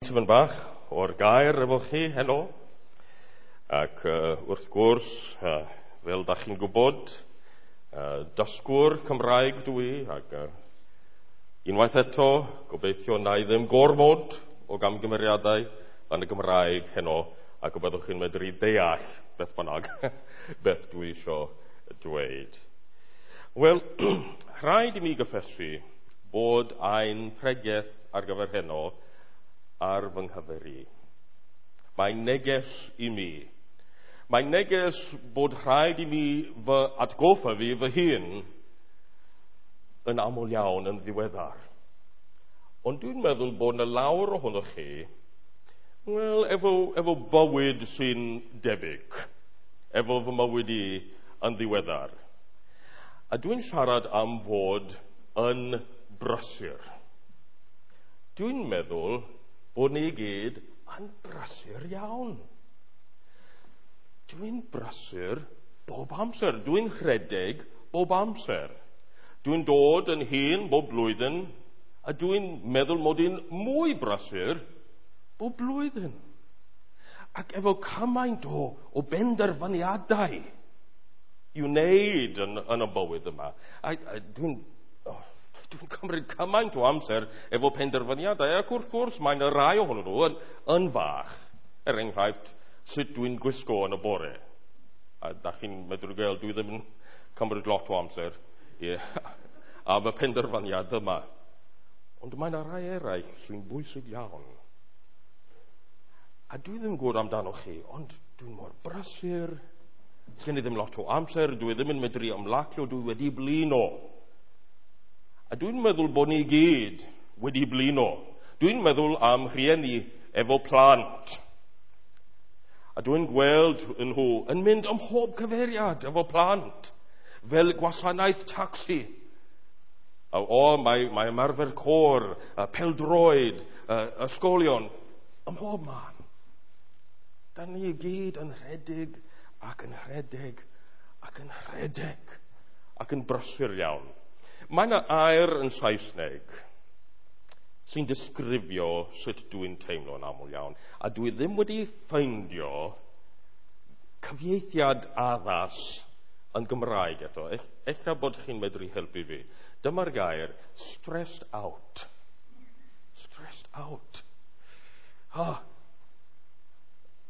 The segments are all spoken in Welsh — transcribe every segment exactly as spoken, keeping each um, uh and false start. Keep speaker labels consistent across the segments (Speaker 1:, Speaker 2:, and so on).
Speaker 1: Tipyn bach o'r gair efo chi heno. Ac uh, wrth gwrs, uh, fel da chi'n gwybod, uh, dysgwr Cymraeg dwi, ac uh, unwaith eto, gobeithio na i ddim gormod o gamgymeriadau yn y Gymraeg heno, ac y byddwch chi'n medru deall beth bynnag beth dwi isio dweud. Wel, rhaid i mi gyffesu bod ein pregeth ar gyfer heno ar fy nghyfer i. Mae'n neges i mi. Mae'n neges bod rhaid i mi fy atgoffa fi fy hun yn aml iawn yn ddiweddar. Ond dwi'n meddwl bod yna lawer ohonoch chi, wel, efo, efo bywyd sy'n debyg, efo fy mywyd i yn ddiweddar. A dwi'n siarad am fod yn brysur. Dwi'n meddwl bod ni i gyd yn brysur iawn. Dwi'n brysur bob amser. Dwi'n rhedeg bob amser. Dwi'n dod yn hŷn bob blwyddyn, a dwi'n meddwl mod i'n mwy brysur bob blwyddyn. Ac efo cymaint o, o benderfyniadau i wneud yn, yn y bywyd yma. A, a dwi'n... Oh, Dwi'n cymryd cymaint o amser efo penderfyniadau, ac wrth gwrs mae'n y rai ohonyn nhw yn, yn fach. Er enghraifft, sut dwi'n gwisgo yn y bore. A da chi'n medru gael, dwi ddim yn cymryd lot o amser i, am y penderfyniad yma. Ond mae'n rai eraill sy'n bwysig iawn. A dwi ddim yn gwybod amdano chi, ond dwi'n mor brysur. Sgen i ddim lot o amser, dwi ddim yn medru ymlacio, dwi wedi blino. A dwi'n meddwl bod ni gyd wedi blino. Dwi'n meddwl am rhieni efo plant. A dwi'n gweld nhw yn mynd ym mhob cyfeiriad efo plant, fel gwasanaeth tacsi. A, o, mae, mae ymarfer côr, pêl-droed, ysgolion, ym mhob man. Da ni gyd yn rhedeg ac yn rhedeg ac yn rhedeg ac yn brysur iawn. Mae yna air yn Saesneg sy'n disgrifio sut dwi'n teimlo yn aml iawn. A dwi ddim wedi ffeindio cyfieithiad addas yn Gymraeg eto. Ella bod chi'n medru helpu fi. Dyma'r gair, stressed out. Stressed out. Ha.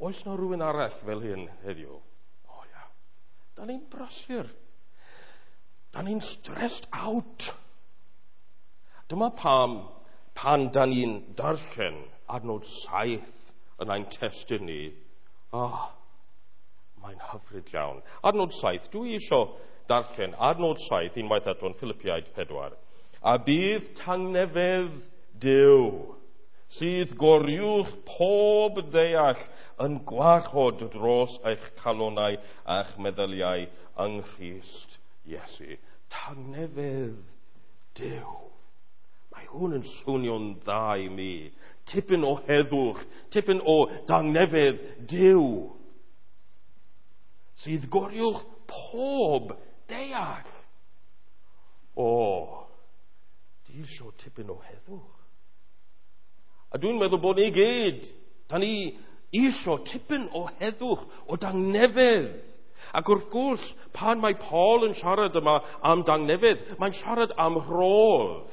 Speaker 1: Oes na rhywun arall fel hyn heddiw? O ia. Da ni'n brysur. Da ni'n stressed out. Dyma pam pan da ni'n darllen adnod saith yn ein testun ni, ah, mae'n hyfryd iawn. Adnod saith, dwi isio darllen adnod saith unwaith eto yn Philippiaid pedwar. A bydd tangnefedd Duw, sydd goruwch pob deall yn gwarchod dros eich calonau a'ch meddyliau yng Nghrist Iesu. Tangnefedd Duw. Mae hwn yn swnio'n dda i mi. Tipyn o heddwch, tipyn o dangnefedd Duw, sydd goruwch pob deall. O, di isio tipyn o heddwch. A dwi'n meddwl bod ni gyd, da ni isio tipyn o heddwch, o dangnefedd. Ac wrth gwrs, pan mae Paul yn siarad yma am dangnefedd, mae'n siarad am rhodd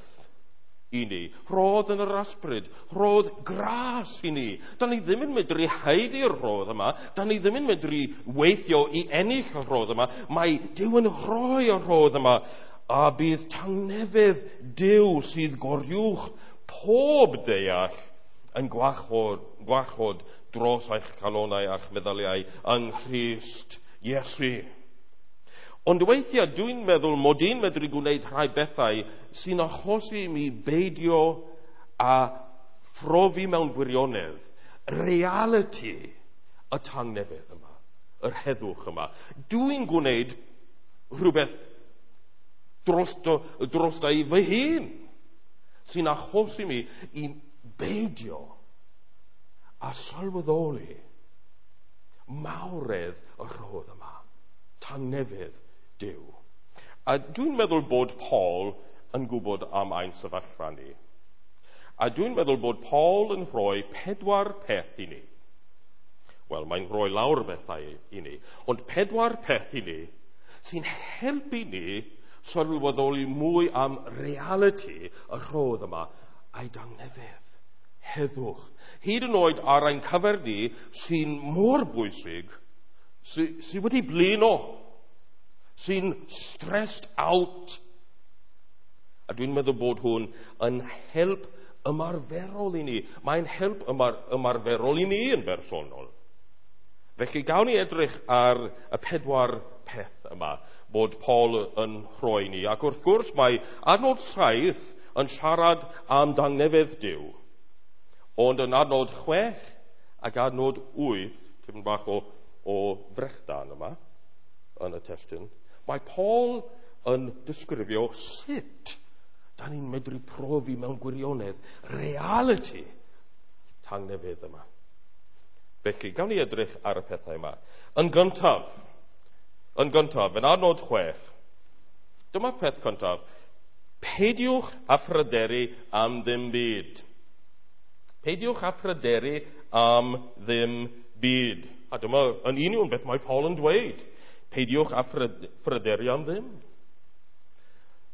Speaker 1: i ni. Rhodd yn yr ysbryd, rhodd gras i ni. Da ni ddim yn medru haeddu'r rhodd yma, da ni ddim yn medru weithio i ennill y rhodd yma. Mae Duw yn rhoi y rhodd yma, a bydd tangnefedd Duw sydd goruwch pob deall yn gwarchod, gwarchod dros eich calonau a'ch meddyliau yng Nghrist Iesu. Ond weithiau dwi'n meddwl mod i'n medru gwneud rhai bethau sy'n achosi i mi beidio a phrofi mewn gwirionedd reality y tangnefedd yma, yr heddwch yma. Dwi'n gwneud rhywbeth drosto, drosta i fy hun sy'n achosi mi i beidio a sylweddoli mawredd y rhodd yma, tangnefedd Duw. A dwi'n meddwl bod Paul yn gwybod am ein sefyllfa ni. A dwi'n meddwl bod Paul yn rhoi pedwar peth i ni. Wel, mae'n rhoi lawr bethau i ni, ond pedwar peth i ni sy'n helpu ni sylweddoli mwy am realiti y rhodd yma a'i dangnefedd. Heddwch. Hyd yn oed ar ein cyfer ni sy'n mor bwysig, sy, sy wedi blino, sy'n stressed out. A dwi'n meddwl bod hwn yn help ymarferol i ni. Mae'n help ymar, ymarferol i ni yn bersonol. Felly gawn ni edrych ar y pedwar peth yma bod Paul yn rhoi ni. Ac wrth gwrs mae adnod saith yn siarad am dangnefedd Duw. Ond yn adnod chwech ac adnod wyth, tipyn bach o, o frechdan yma yn y testun, mae Paul yn disgrifio sut da ni'n medru profi mewn gwirionedd realiti tangnefedd yma. Felly, gawn ni edrych ar y pethau yma. Yn gyntaf, yn gyntaf, yn adnod chwech, dyma'r peth cyntaf, peidiwch â phryderu am ddim byd. Peidiwch â phryderu am ddim byd. A dyma yn union beth mae Paul yn dweud. Peidiwch â phryderu am ddim.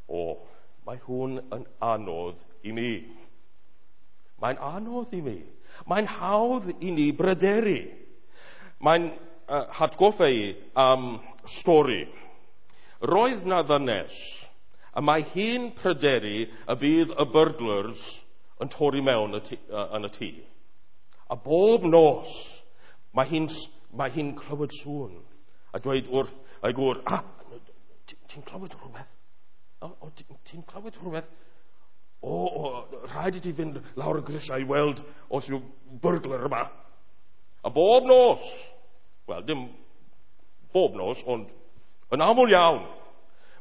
Speaker 1: O, mae hwn yn anodd i mi. Mae'n anodd i mi. Mae'n hawdd i ni bryderu. Mae'n uh, hatgoffa i am stori. Roedd na ddynes, a mae hi'n pryderu y bydd y burglars yn torri mewn y tŷ, uh, yn y tŷ. A bob nos, mae hi'n mae hi'n clywed sŵn a dweud wrth ei gŵr, ah, ti'n clywed rhywbeth? O, o, ti'n clywed rhywbeth? O, o, rhaid i ti fynd lawr y grisiau i weld os yw burglar yma. A bob nos, wel, dim bob nos, ond yn aml iawn,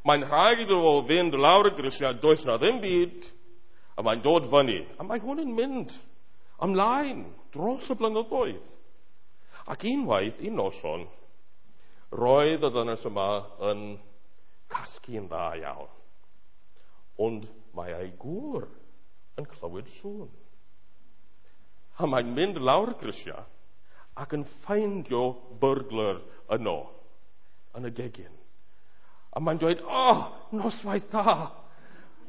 Speaker 1: mae'n rhaid iddo fo fynd lawr y grisiau, does na ddim byd, a mae'n dod fyny. A mae hwn yn mynd ymlaen dros y blynyddoedd. Ac unwaith, un noson, roedd y ddynes yma yn casgu'n dda iawn. Ond mae ei gŵr yn clywed sŵn. A mae'n mynd lawr y grisiau ac yn ffeindio burglar yno, yn y gegin. A mae'n dweud, oh, noswaith dda.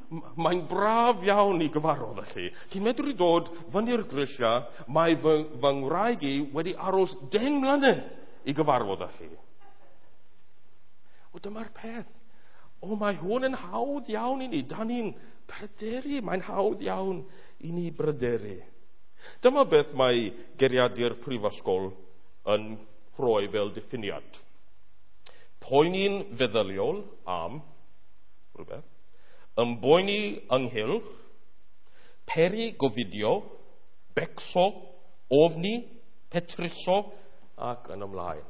Speaker 1: Mae'n braf iawn i gyfarfod felly. Ti'n medru dod fyny'r grisiau, mae fy, fy ngwraig i wedi aros deng mlynedd i gyfarfod â chi. O, dyma'r peth. O, mae hwn yn hawdd iawn i ni. Da ni'n pryderu. Mae'n hawdd iawn i ni bryderu. Dyma beth mae geiriadur prifysgol yn rhoi fel diffiniad. Poeni'n feddyliol am rhywbeth, ymboeni ynghylch, peri gofidio, becso, ofni, petruso ac yn ymlaen.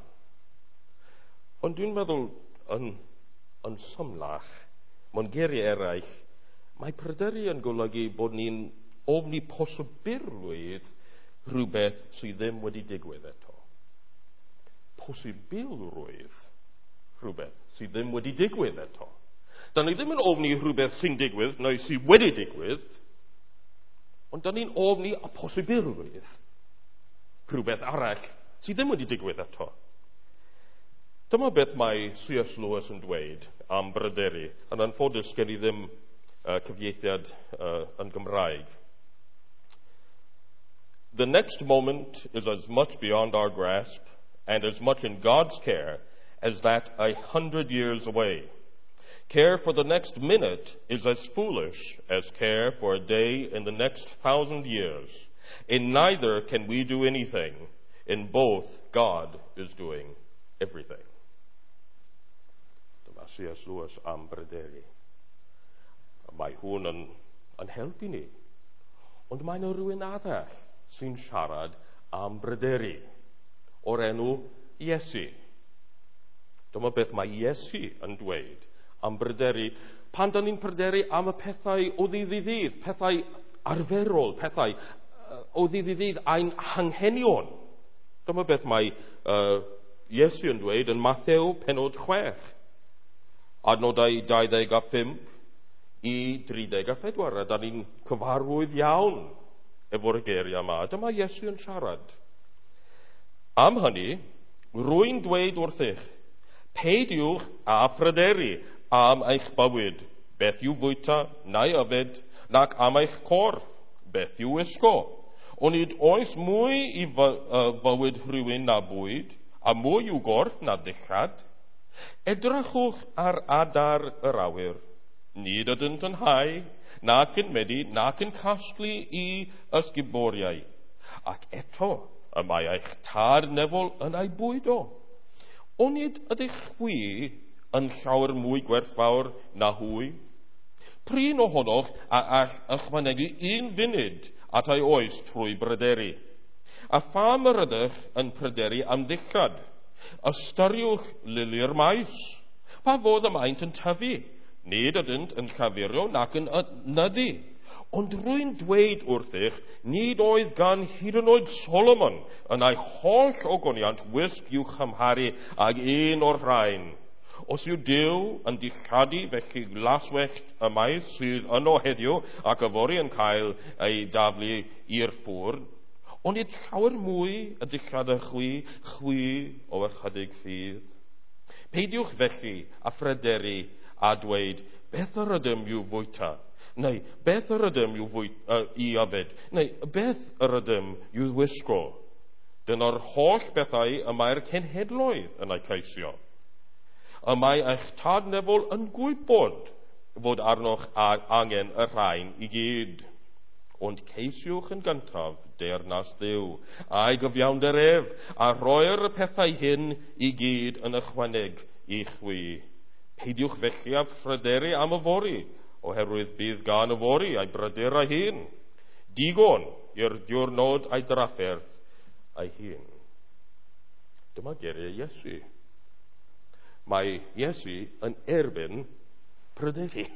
Speaker 1: Ond dwi'n meddwl yn, yn symlach, mewn geiriau eraill, mae pryderu yn golygu bod ni'n ofni posibilrwydd rhywbeth sydd ddim wedi digwydd eto. Posibilrwydd rhywbeth sydd ddim wedi digwydd eto. Da ni ddim yn ofni rhywbeth sy'n digwydd neu sydd wedi digwydd, ond da ni'n ofni y posibilrwydd rhywbeth arall sydd ddim wedi digwydd eto. Dyma beth mae C S Lewis yn dweud am bryderu. Yn anffodus gen i ddim uh, cyfieithiad uh, yn Gymraeg. The next moment is as much beyond our grasp and as much in God's care as that a hundred years away. Care for the next minute is as foolish as care for a day in the next thousand years. In neither can we do anything. In both, God is doing everything. Dyma C S Lewis am bryderu. Mae hwn yn, yn helpu ni. Ond mae yna rhywun arall sy'n siarad am bryderu o'r enw Iesu. Dyma beth mae Iesu yn dweud am bryderu. Pan dan ni'n pryderu am y pethau o ddydd i ddydd, pethau arferol, pethau o ddydd i ddydd ein hanghenion. Dyma beth mae uh, Iesu yn dweud yn Mathew penod chwech, adnodau dau ddeg a phump. i dri deg a phedwar, a da ni'n cyfarwydd iawn efo'r geiriau yma. Dyma Iesu yn siarad. Am hynny, rwy'n dweud wrthych, peidiwch â phryderu am eich bywyd, beth i'w fwyta neu yfed, nac am eich corff, beth i'w wisgo. Onid oes mwy i fywyd rhywun na bwyd, a mwy i'w gorff na ddillad? Edrychwch ar adar yr awyr. Nid ydynt yn hau, nac yn medi, nac yn casglu i ysguboriau. Ac eto, y mae eich tad nefol yn ei bwydo. Onid ydych chwi yn llawer mwy gwerthfawr na hwy? Prin ohonoch a all ychwanegu un funud at ei oes trwy bryderu. A pham yr ydych yn pryderu am ddillad? Ystyriwch lili'r maes. Pa fodd y maent yn tyfu? Nid ydynt yn llafurio nac yn nyddu. Ond rwy'n dweud wrthych, nid oedd gan hyd yn oed Solomon yn ei holl ogoniant wisg i'w chymharu ag un o'r rhain. Os yw Duw yn dilladu felly glaswellt y maes sydd yno heddiw ac yfory yn cael ei daflu i'r ffwrn, onid llawer mwy y dillad y chwi, chwi o ychydig ffydd. Peidiwch felly a phryderu a dweud, beth yr ydym i'w fwyta? Neu, beth yr ydym i'w fwy, uh, i yfed? Neu, beth yr ydym i'w wisgo? Dyna'r holl bethau y mae'r cenhedloedd yn eu ceisio. Y mae eich tad nefol yn gwybod fod arnoch angen y rhain i gyd. Ond ceisiwch yn gyntaf deyrnas Dduw, a'i gyfiawnder ef, a roi'r pethau hyn i gyd yn ychwaneg i chwi. Peidiwch felly â phryderu am yfory, oherwydd bydd gan yfory a'i bryder ei hun. Digon i'r diwrnod a'i drafferth ei hun. Dyma geiriau Iesu. Mae Iesu yn erbyn pryderu.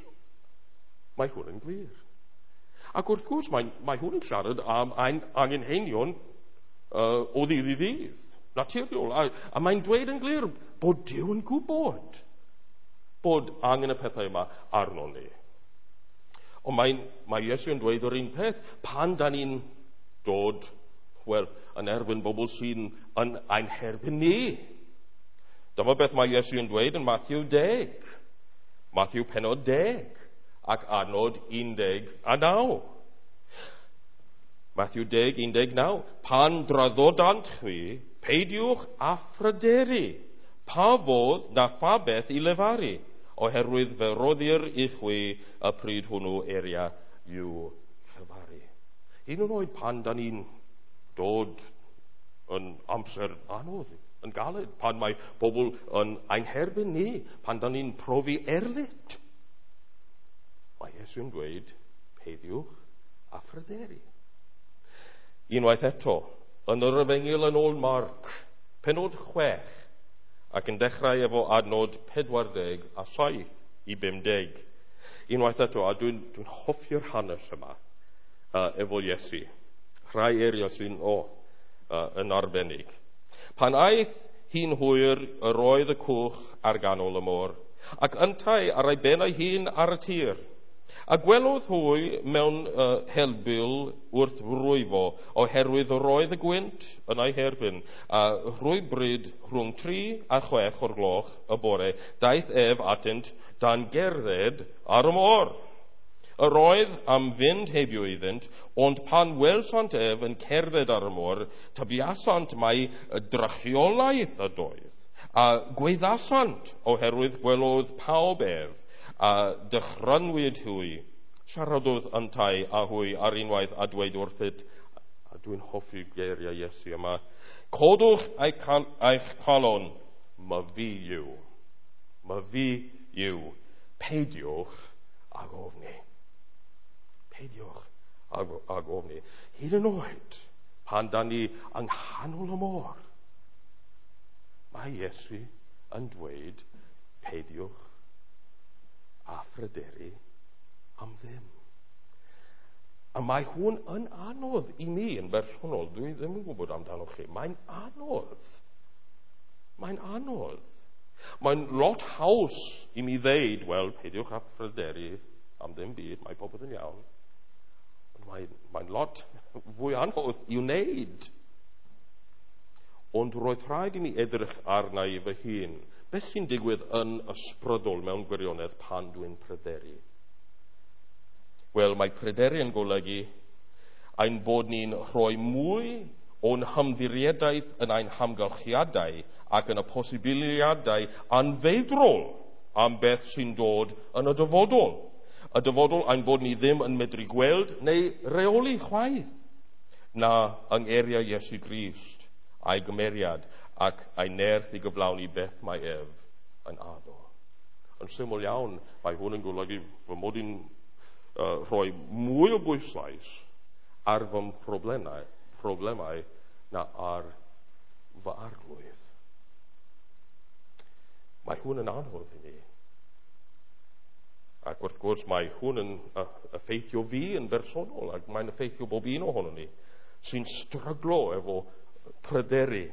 Speaker 1: Mae hwn yn glir. Ac wrth gwrs, mae, mae hwn yn siarad am ein angenheinion uh, o ddydd i ddydd, naturiol. A, a mae'n dweud yn glir bod Duw yn gwybod bod angen y pethau yma arno ni. Ond mae, mae Iesu yn dweud yr un peth pan da ni'n dod, wel, yn erbyn bobl sy'n yn ein herbyn ni. Dyma beth mae Iesu yn dweud yn Matthew deg. Matthew penod deg ac adnod un deg a naw. Matthew deg, un deg naw. Pan draddodant chwi, peidiwch â phryderu, pa fodd na pha beth i lefaru, oherwydd fe roddir i chwi y pryd hwnnw eria i'w llefaru. Un yn oed pan da ni'n dod yn amser anodd, yn galed, pan mae pobl yn ein herbyn ni, pan da ni'n profi erlid, mae Iesu'n dweud, peidiwch â phryderu. Unwaith eto, yn yr Efengyl yn ôl Marc, penod chwech, ac yn dechrau efo adnod pedwar deg a saith i bum deg. Unwaith eto, a dwi'n dwi hoffi'r hanes yma uh, efo Iesu. Rhai eiriau sy'n o, uh, yn arbennig. Pan aeth hi'n hwyr, yr oedd y cwch ar ganol y môr, ac yntau ar ei ben ei hun ar y tir. A gwelodd hwy mewn uh, helbul wrth rwyfo, oherwydd yr oedd y gwynt yn ei herbyn, a rhwybryd rhwng tri a chwech o'r gloch y bore, daeth ef atynt dan gerdded ar y môr. Yr oedd am fynd heibio iddynt, ond pan welsant ef yn cerdded ar y môr, tybiasant mai drychiolaeth ydoedd, a gweddasant oherwydd gwelodd pawb ef, a dychrynwyd hwy. Siaradodd yntau a hwy ar unwaith a dweud wrthyt, a dwi'n hoffi geiriau Iesu yma, codwch eich calon, ma fi yw, ma fi yw, peidiwch ag ofni. Peidiwch ag, ag ofni. Hyd yn oed, pan da ni yng nghanol y môr, mae Iesu yn dweud, peidiwch a phryderu am ddim. A mae hwn yn anodd i mi yn bersonol. Dwi ddim yn gwybod amdano chi. Mae'n anodd. Mae'n anodd. Mae'n lot haws i mi ddeud, wel, peidiwch â phryderu am ddim byd, mae popeth yn iawn. Ond mae'n mae lot fwy anodd i'w wneud. Ond roedd rhaid i mi edrych arna i fy hun. Beth sy'n digwydd yn ysbrydol mewn gwirionedd pan dwi'n pryderu? Wel, mae pryderu yn golygu ein bod ni'n rhoi mwy o'n hymddiriedaeth yn ein hamgylchiadau ac yn y posibiliadau anfeidrol am beth sy'n dod yn y dyfodol. Y dyfodol ein bod ni ddim yn medru gweld neu reoli chwaith na yng ngeiriau Iesu Grist a'i gymeriad ac a'i nerth i gyflawni beth mae ef yn addo. Yn syml iawn, mae hwn yn golygu fy mod i'n uh, rhoi mwy o bwyslais ar fy problemau, problemau na ar fy arglwydd. Mae hwn yn anodd i ni. Ac wrth gwrs mae hwn yn effeithio fi yn bersonol ac mae'n effeithio bob un ohonon ni sy'n stryglo efo pryderu.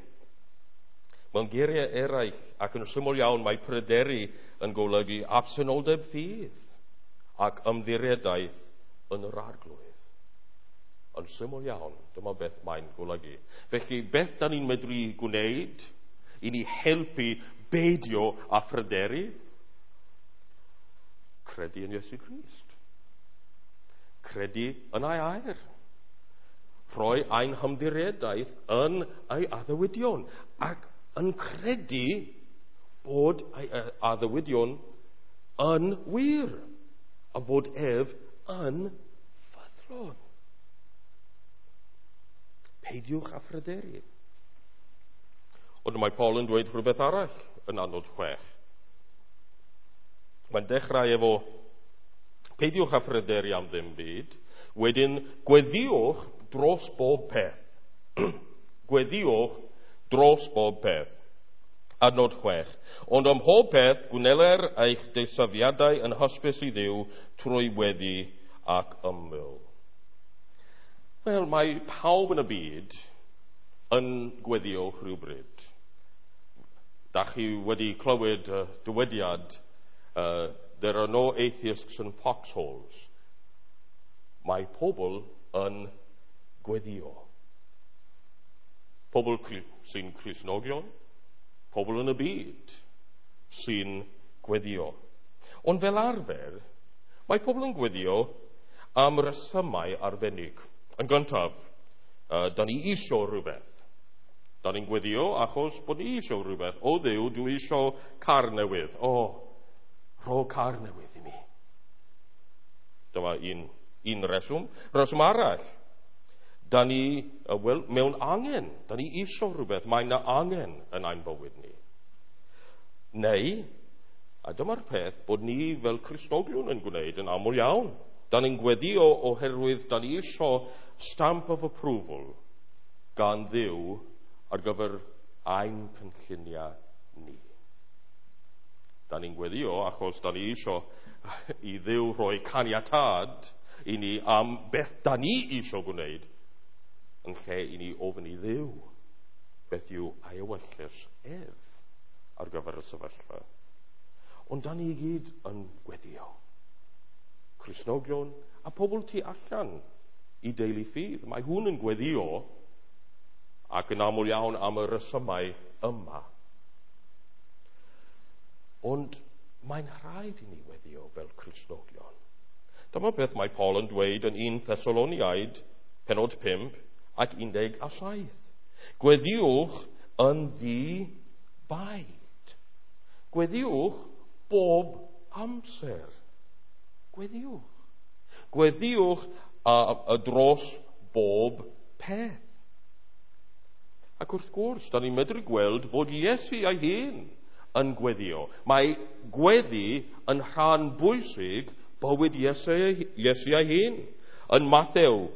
Speaker 1: Mewn geiriau eraill ac yn syml iawn mae pryderu yn golygu absenoldeb ffydd ac ymddiriedaeth yn yr arglwydd. Yn syml iawn, dyma beth mae'n golygu. Felly, beth da ni'n medru gwneud i ni helpu beidio â phryderu? Credu yn Iesu Grist. Credu yn ei air. Rhoi ein hymddiriedaeth yn ei addewidion ac yn credu bod ei addewidion yn wir a fod ef yn ffyddlon. Peidiwch â phryderu. Ond mae Paul yn dweud rhywbeth arall yn adnod chwech. Mae'n dechrau efo peidiwch â phryderu am ddim byd, wedyn gweddiwch dros bob peth. Gweddiwch dros bob peth. Adnod chwech. Ond am mhob peth gwneler eich deisyfiadau yn hysbys i Dduw trwy weddi ac ymyl. Wel, mae pawb yn y byd yn gweddio rhywbryd. Da chi wedi clywed uh, dywediad, uh, there are no atheists in foxholes. Mae pobl yn gweddio. Pobl sy'n Cristnogion, pobl yn y byd sy'n gweddio. Ond fel arfer, mae pobl yn gweddio am resymau arbennig. Yn gyntaf, uh, da ni isio rhywbeth. Da ni'n gweddio achos bod ni isio rhywbeth. O Dduw, dwi isio car newydd. O, rho car newydd i mi. Dyma un, un reswm. Reswm arall, da ni, uh, well, mewn angen. Da ni isio rhywbeth. Mae yna angen yn ein bywyd ni. Neu, a dyma'r peth bod ni fel Cristnogion yn gwneud yn aml iawn. Da ni'n gweddio oherwydd da ni isio stamp of approval gan Dduw ar gyfer ein cynlluniau ni. Da ni'n gweddio achos da ni isio i Dduw rhoi caniatâd i ni am beth da ni isio gwneud yn lle i ni ofyn i Dduw beth yw ei ewyllys ef ar gyfer y sefyllfa. Ond da ni i gyd yn gweddio. Cristnogion a pobl tu allan i deulu ffydd. Mae hwn yn gweddio ac yn aml iawn am y resymau yma. Ond mae'n rhaid i ni weddio fel Cristnogion. Dyma beth mae Paul yn dweud yn un Thessaloniaid, penod pump ac un deg a saith. Gweddiwch yn ddi-baid. Gweddiwch bob amser. Gweddiwch. Gweddiwch a, a dros bob peth. Ac wrth gwrs, da ni'n medru gweld bod Iesu ei hun yn gweddio. Mae gweddi yn rhan bwysig bywyd Iesu, Iesu ei hun. Yn Mathew,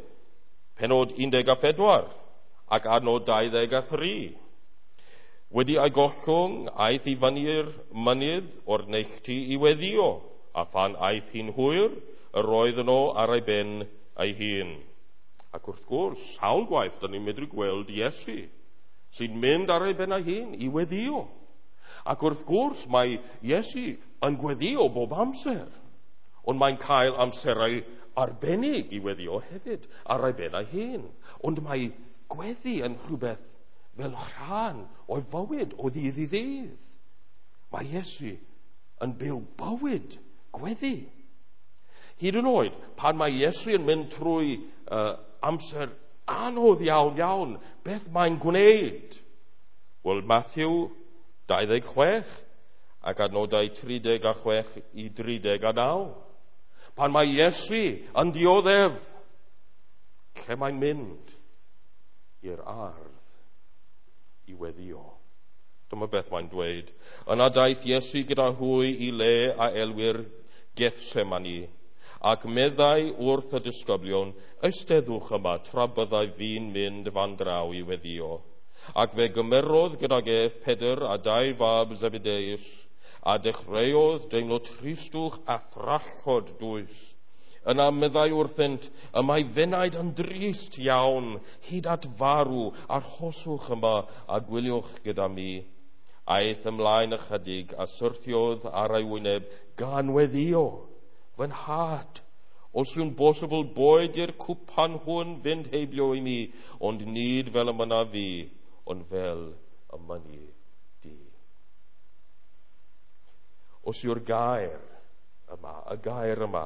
Speaker 1: penod un deg pedwar ac adnod dau ddeg tri. Wedi ei gollwng, aeth i fyny'r mynydd o'r neilltu i weddio, a phan aeth hi'n hwyr, yr oedd yno ar ei ben ei hun. Ac wrth gwrs, sawl gwaith, da ni'n medru gweld Iesu sy'n mynd ar ei ben ei hun i weddio. Ac wrth gwrs, mae Iesu yn gweddio bob amser. Ond mae'n cael amserau arbennig i weddio hefyd, ar ei ben ei hun. Ond mae gweddi yn rhywbeth fel rhan o'i fywyd o ddydd i ddydd. Mae Iesu yn byw bywyd gweddi. Hyd yn oed, pan mae Iesu yn mynd trwy uh, amser anodd iawn iawn, beth mae'n gwneud? Wel, Matthew dau ddeg chwech ac adnodau tri deg a chwech i dri deg a naw. Pan mae Iesu yn dioddef, lle mae'n mynd? I'r ardd i weddio. Dyma beth mae'n dweud. Yna daeth Iesu gyda hwy i le a elwir Gethsemane, ac meddai wrth y disgyblion, eisteddwch yma tra byddai fi'n mynd fan draw i weddio. Ac fe gymerodd gydag ef Pedr a dau fab Zebedeus, a dechreuodd deimlo tristwch a thrallod dwys. Yna meddai wrthynt, y mae fenaid yn drist iawn, hyd at farw, arhoswch yma a gwyliwch gyda mi. Aeth ymlaen ychydig a syrthiodd ar ei wyneb gan weddio. Fy nhad, os yw'n bosibl boed i'r cwpan hwn fynd heibio i mi, ond nid fel y mynna fi, ond fel y mynni di. Os yw'r gair yma, y gair yma,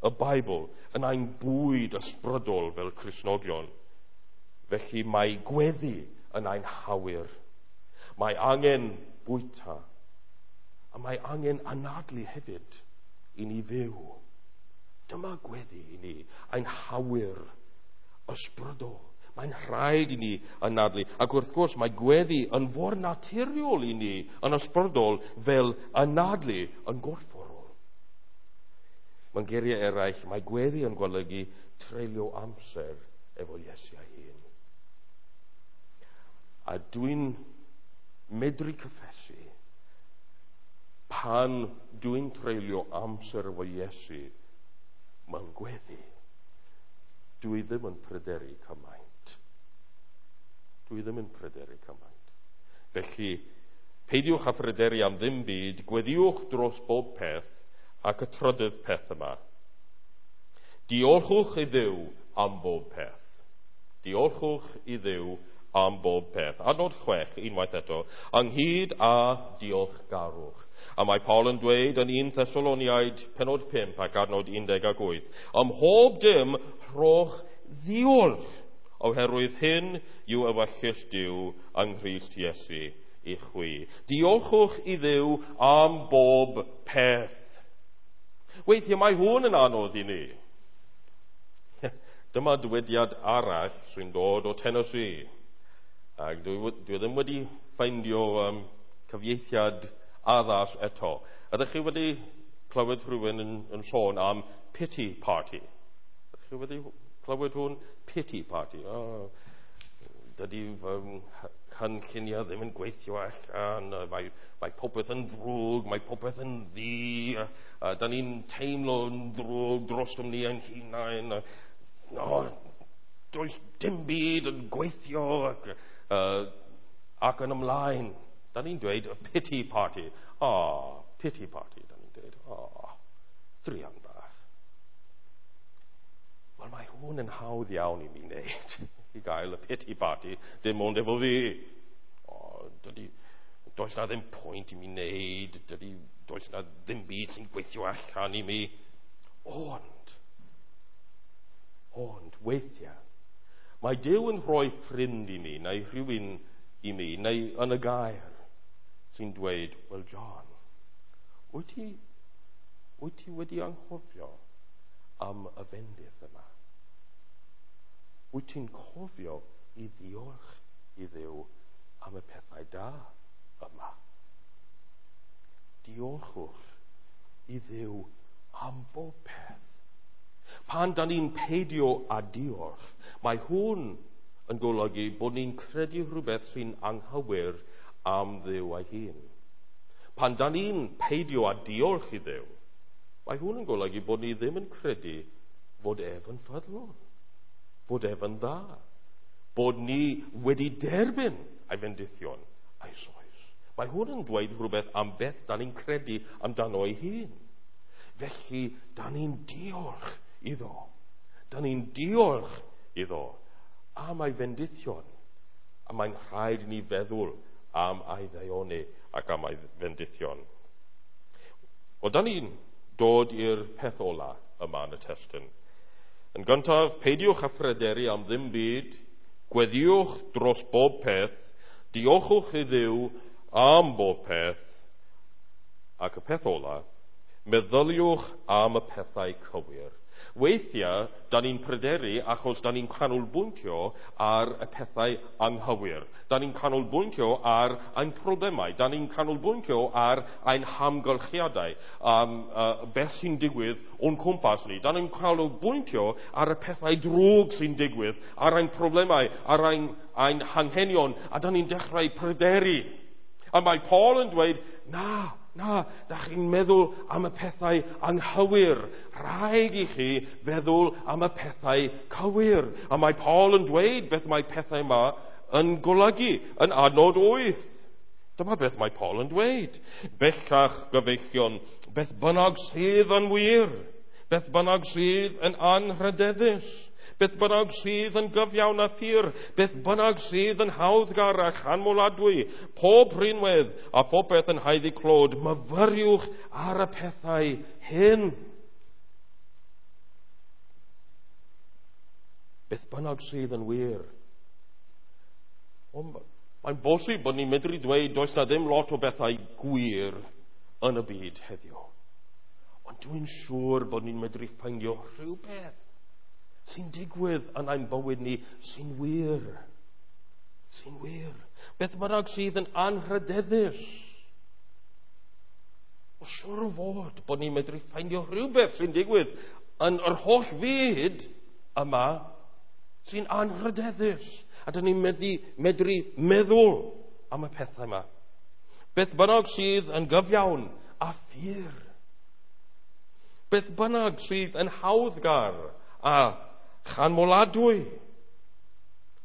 Speaker 1: y Beibl, yn ein bwyd ysbrydol fel Cristnogion, felly mae gweddi yn ein hawyr. Mae angen bwyta, a mae angen anadlu hefyd i ni fyw. Dyma gweddi i ni, ein hawyr ysbrydol. Mae'n rhaid i ni anadlu. Ac wrth gwrs mae gweddi yn fawr naturiol i ni yn ysbrydol fel anadlu yn gorfforol. Mewn geiriau eraill, mae gweddi yn golygu treulio amser efo Iesu ei hun. A dwi'n medru cyffesu pan dwi'n treulio amser efo Iesu mewn gweddi, dwi ddim yn pryderu cymaint. Dwi ddim yn pryderu cymaint. Felly, peidiwch â phryderu am ddim byd, gweddiwch dros bob peth ac y trydydd peth yma. Diolchwch i Dduw am bob peth. Diolchwch i Dduw am bob peth. Adnod chwech, unwaith eto, ynghyd â diolchgarwch. A mae Paul yn dweud yn un Thessaloniaid penod pump ac adnod un deg ag wyth, ym mhob dim rhowch ddiolch, oherwydd hyn yw ewyllys Duw yng Nghrist Iesu i chwi. Diolchwch i Dduw am bob peth. Weithiau mae hwn yn anodd i ni. Dyma dywediad arall sy'n dod o Tennessee. Ac dwi, dwi ddim wedi ffeindio um, cyfieithiad addas eto. Ydych chi wedi clywed rhywun yn, yn sôn am pity party? Ydych chi wedi clywed hwn? Pity party. Oh, dydy um, cynlluniau ddim yn gweithio allan, mae, mae popeth yn ddrwg, mae popeth yn ddu, a, a da ni'n teimlo'n ddrwg drostom ni ein hunain. A, no, does dim byd yn gweithio ac, uh, ac yn ymlaen. Da ni'n dweud a pity party. Ah, pity party, da ni'n dweud. Ah, druan bach. Wel, mae hwn yn hawdd iawn i mi wneud, i gael y pity party, dim ond efo fi. Oh, dydy, does na ddim pwynt i mi wneud, dydy, does na ddim byd sy'n gweithio allan i mi. Ond, ond, weithiau, mae Duw yn rhoi ffrind i mi, neu rhywun i mi, neu yn y gair, sy'n dweud, wel John, wyt ti, wyt ti wedi anghofio am y fendith yma? Wyt ti'n cofio i ddiolch i Dduw am y pethau da yma? Diolchwch i Dduw am bob peth. Pan da ni'n peidio â diolch, mae hwn yn golygu bod ni'n credu rhywbeth sy'n anghywir am Dduw ei hun. Pan da ni'n peidio â diolch i Dduw, mae hwn yn golygu bod ni ddim yn credu fod ef yn ffyddlon, fod ef yn dda, bod ni wedi derbyn ei fendithion eisoes. Mae hwn yn dweud rhywbeth am beth da ni'n credu amdano ei hun. Felly, da ni'n diolch iddo. Da ni'n diolch iddo am ei fendithion. A mae'n rhaid i ni feddwl am ei ddaioni ac am ei fendithion. O, da ni'n dod i'r peth ola yma yn y testun. Yn gyntaf, peidiwch â phryderu am ddim byd, gweddïwch dros bob peth, diolchwch i Dduw am bob peth, ac y peth ola, meddyliwch am y pethau cywir. Weithiau, da ni'n pryderu achos da ni'n canolbwyntio ar y pethau anghywir. Da ni'n canolbwyntio ar ein problemau. Da ni'n canolbwyntio ar ein hamgylchiadau, um, uh, beth sy'n digwydd o'n cwmpas ni. Da ni'n canolbwyntio ar y pethau drwg sy'n digwydd, ar ein problemau, ar ein, ein hanghenion, a da ni'n dechrau pryderu. A mae Paul yn dweud, na, na, da chi'n meddwl am y pethau anghywir. Rhaid i chi feddwl am y pethau cywir. A mae Paul yn dweud beth mae pethau yma yn golygu yn adnod wyth. Dyma beth mae Paul yn dweud. Bellach, gyfeillion, beth bynnag sydd yn wir, beth bynnag sydd yn anrhydeddus, beth bynnag sydd yn gyfiawn a phur, beth bynnag sydd yn hawddgar a chanmoladwy, pob rhinwedd a phopeth yn haeddu clod, myfyriwch ar y pethau hyn. Beth bynnag sydd yn wir. O, mae'n bosib bod ni'n medru dweud does na ddim lot o bethau gwir yn y byd heddiw. Ond dwi'n siŵr bod ni'n medru ffeindio rhywbeth sy'n digwydd yn ein bywyd ni sy'n wir. Sy'n wir. Beth bynnag sydd yn anrhydeddus. O, siŵr o fod bod ni'n medru ffeindio rhywbeth sy'n digwydd yn yr holl fyd yma sy'n anrhydeddus. A dyn ni'n medru, medru meddwl am y pethau yma. Beth bynnag sydd yn gyfiawn a phur. Beth bynnag sydd yn hawddgar a chanmoladwy.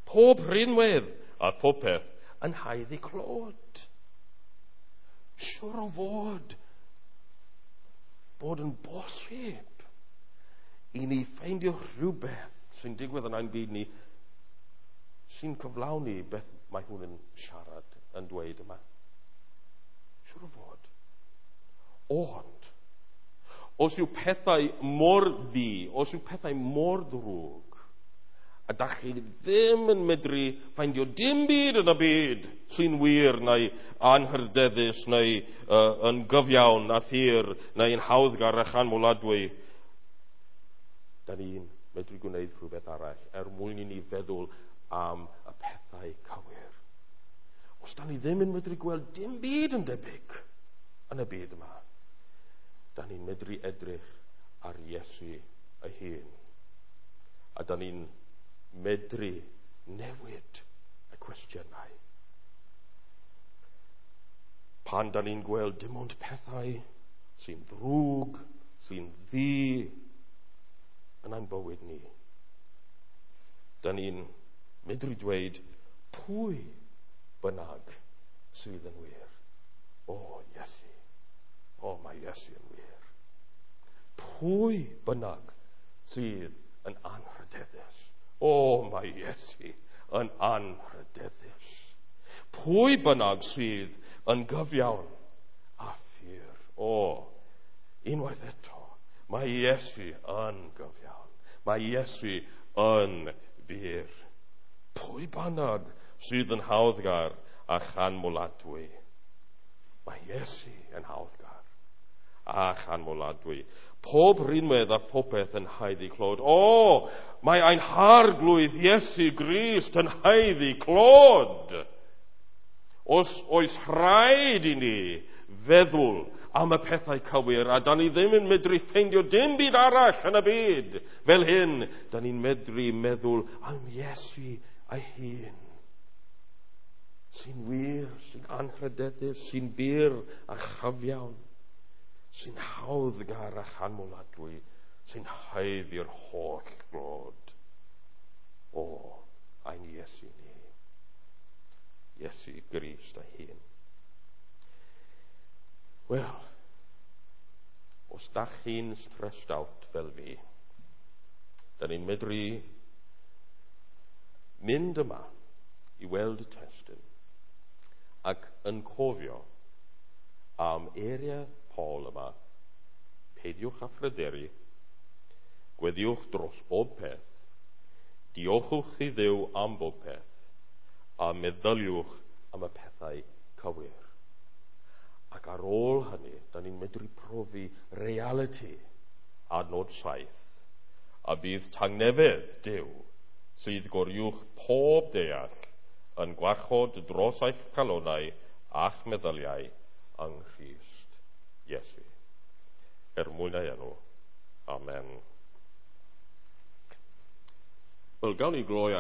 Speaker 1: Pob rhinwedd a phopeth yn haeddu clod. Siŵr o fod bod yn bosib i ni ffeindio rhywbeth sy'n digwydd yn ein byd ni sy'n cyflawni beth mae hwn yn siarad yn dweud yma. Siŵr o fod. Ond, os yw pethau mor ddu, os yw pethau mor ddrwg, a da chi ddim yn medru ffeindio dim byd yn y byd sy'n wir neu anrhydeddus neu uh, yn gyfiawn a phur neu yn hawddgar a chanmoladwy, da ni'n medru gwneud rhywbeth arall er mwyn i ni feddwl am y pethau cywir. Os da ni ddim yn medru gweld dim byd yn debyg yn y byd yma, da ni'n medru edrych ar Iesu ei hun. A da ni'n medru newid y cwestiynau. Pan da ni'n gweld dim ond pethau sy'n ddrwg, sy'n ddu yn ein bywyd ni, da ni'n medru dweud pwy bynnag sydd yn wir. O, Iesu. O, mae Iesu yn wir. Pwy bynnag sydd yn anrhydeddus. O, mae Iesu yn anrhydeddus. Pwy bynnag sydd yn gyfiawn a phur. O, unwaith eto, mae Iesu yn gyfiawn. Mae Iesu yn bur. Pwy bynnag sydd yn hawddgar a chanmoladwy. Mae Iesu yn hawddgar a chanmoladwy. Pob rhinwedd a phopeth yn haeddu clod. O, mae ein harglwydd Iesu Grist yn haeddu clod. Os oes rhaid i ni feddwl am y pethau cywir, a da ni ddim yn medru ffeindio dim byd arall yn y byd fel hyn, da ni'n medru meddwl am Iesu ei hun. Sy'n wir, sy'n anrhydeddus, sy'n bur a chyfiawn, sy'n hawddgar a chanmoladwy, sy'n haeddu'r holl glod. O, ein Iesu ni. Iesu Grist ei hun. Wel, os Os da chi'n stressed out fel fi, da ni'n medru mynd yma i weld y testun ac yn cofio am eiriau Paul yma, peidiwch â phryderu, gweddiwch dros bob peth, diolchwch i Dduw am bob peth, a meddyliwch am y pethau cywir. Ac ar ôl hynny, da ni'n medru profi reality adnod saith, a bydd tangnefedd Duw sydd goruwch pob deall yn gwarchod dros eich calonau a'ch meddyliau yng Nghrist Iesu. Er mwyn ei enw. Amen. Wel, gawn ni gloi